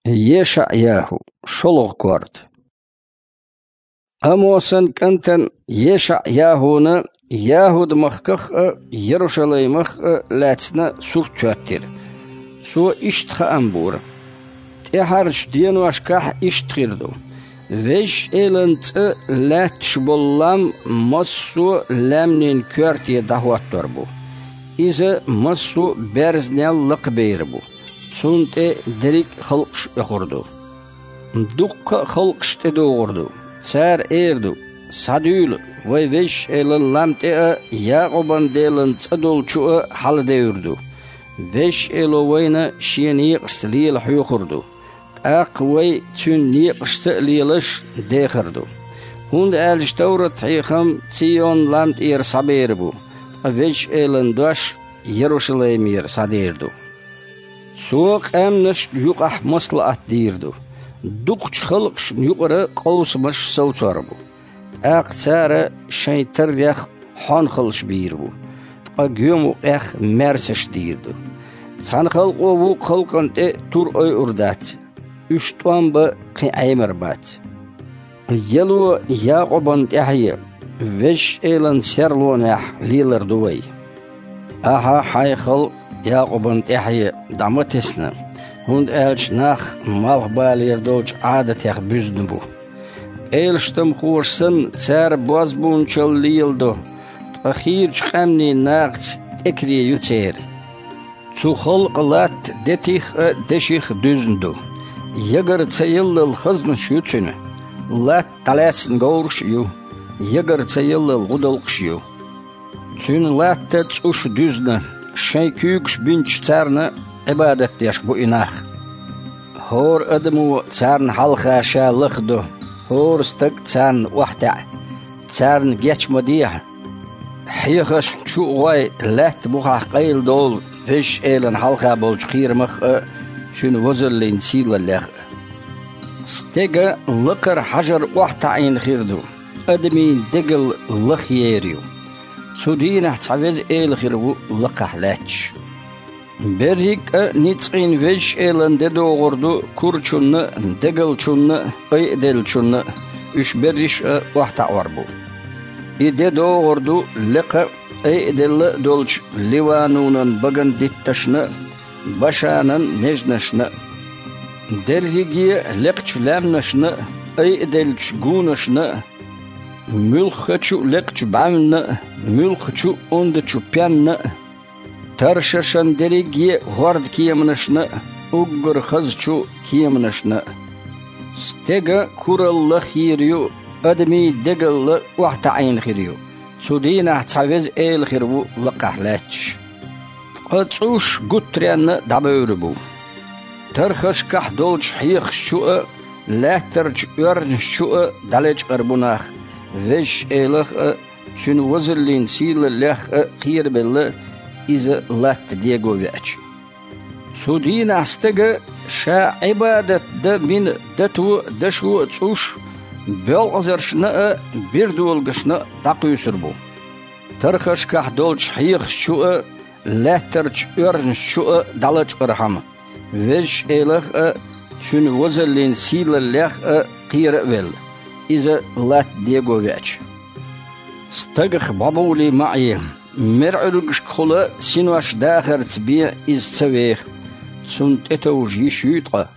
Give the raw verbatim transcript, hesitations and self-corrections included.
ЕшаӀ-ЯхӀу, шолгӀа корта. Амосан кӀантана ЕшаӀ-ЯхӀуна ЯхӀуд-махках а, Ярушалаймах а лаьцна сурт хӀоьттира. Цо иштта хаам бора: тӀаьхьарчу деношкахь иштта хир ду: Везачу Элан цӀа лаьтташ болу лам массо а лаьмнийн коьрте дӀахӀоттор бу. Иза массо а берзанел лакхабер бу. Цунна тӀе дерриг а халкъаш оьхур ду. Дуккха а халкъаш тӀедогӀур ду. Цара эр ду: «Схьадуьйла, вай Везачу Элан лам тӀе а, Якъубан Делан цӀа долчу а хьаладевр ду. Везачу Эло вайна Шен некъашца лела хьоьхур ду. ТӀаккха вай Цуьнан некъашца а лелаш дехар ду. ХӀунда аьлча товрат-хьехам Цийон лам тӀера схьабер бу, ткъа Везачу Элан дош Ярушалаймера схьадер ду». Цо къаьмнашна юкъахь маслаӀат дийр ду. Дукхачу халкъашна юкъара къовсамаш совцор бу. ТӀаккха цара шайн таррех хьонхалш бийр бу, ткъа гоьмукъех маьрсаш дийр ду. Цхьана халкъо вукху халкъана тӀе тур ойур дац. Уьш тӀом бан кхин Ӏемар бац. Яло Якъубан тӀаьхье, Везачу Элан серлонехь лелар ду вай. Ахьа хьайн халкъ Якъубан тӀаьхье дӀа ма тесна, хӀунда аьлча нах малхбалера долчу Ӏадатех буьзна бу. Пӏелаштамхоша санна, цара бозбуунчалла леладо, ткъа хийрачу къаьмнийн нахаца тӀекаре ю церан. Цу халкъан латта детих а, деших а дуьзна ду. Ягара ца еллал хазнаш ю цуьнан. Латта дӀалаьцна говраш а ю, ягара ца еллал гӀудалкхаш а ю. Цуьнан латта цӀуш дуьзна, шайн куьйгаш бинчу царна Ӏибадат деш бу и нах. ХӀора адамо царна хьалха ша лахдо, хӀора стаг царна охьатаьӀа, царна геч ма дехьа. Хьехаршна чу а гӀой, лаьтта бухахь къайладовла Везачу Элана хьалха болчу кхерамах а, Цуьнан возаллин сийлаллех а. Стеган лакхара хьажар охьатаӀийна хир ду, адамийн дегал лахъер ю. Цу дийнахь цхьа Веза Эла хир ву лакхахь лаьтташ. Берриг а ницкъийн Везачу Элана де догӀур ду курачунна а, дегалчунна а, айаделлачунна а, уьш берриш а охьатаӀор бу. И де догӀур ду лекха а, айаделла а долчу Ливанунан баган дитташна а, Башанан нежнашна а. Дерриге а лекхачу лаьмнашна а, айаделлачу гунашна а, муьлххачу а лекхачу бӀаьвнна а, муьлххачу а ондачу пенна а, Таршашан дерриге а хӀордкеманашна а, уггар хазачу кеманашна а. Стеган куралла лахъер ю, адамийн дегалла охьатаӀийна хир ю. Цу дийнахь цхьа Веза Эла хир ву лакхахь лаьтташ. Ткъа цӀуш гуттаренна дӀабевр бу. Тархашкахь долчу хьехаш чу а, лаьттарчу оьрнаш чу а дӀалечкъар бу нах, Везачу Элах а, Цуьнан возаллин сийлаллех а кхерабелла, иза латта дего веача. Цу дийнахь стага ша Ӏибадат дан бина дато а, дашо а цӀуш, боьлкъазаршна а, бирдолагашна а дӀакхуьйсур бу. Тархашкахь долчу хьехаш чу а, лаьттарчу оьрнаш чу а дӀалачкъархьама, Везачу Элах а, Цуьнан возаллин сийлаллех а кхера а велла, иза латта дего веача. Стагах бӀобовлий ма Ӏе, мерӀуьргашкахула синош дахарца бен иза ца веха, цунна тӀетовжа йиш юй ткъа.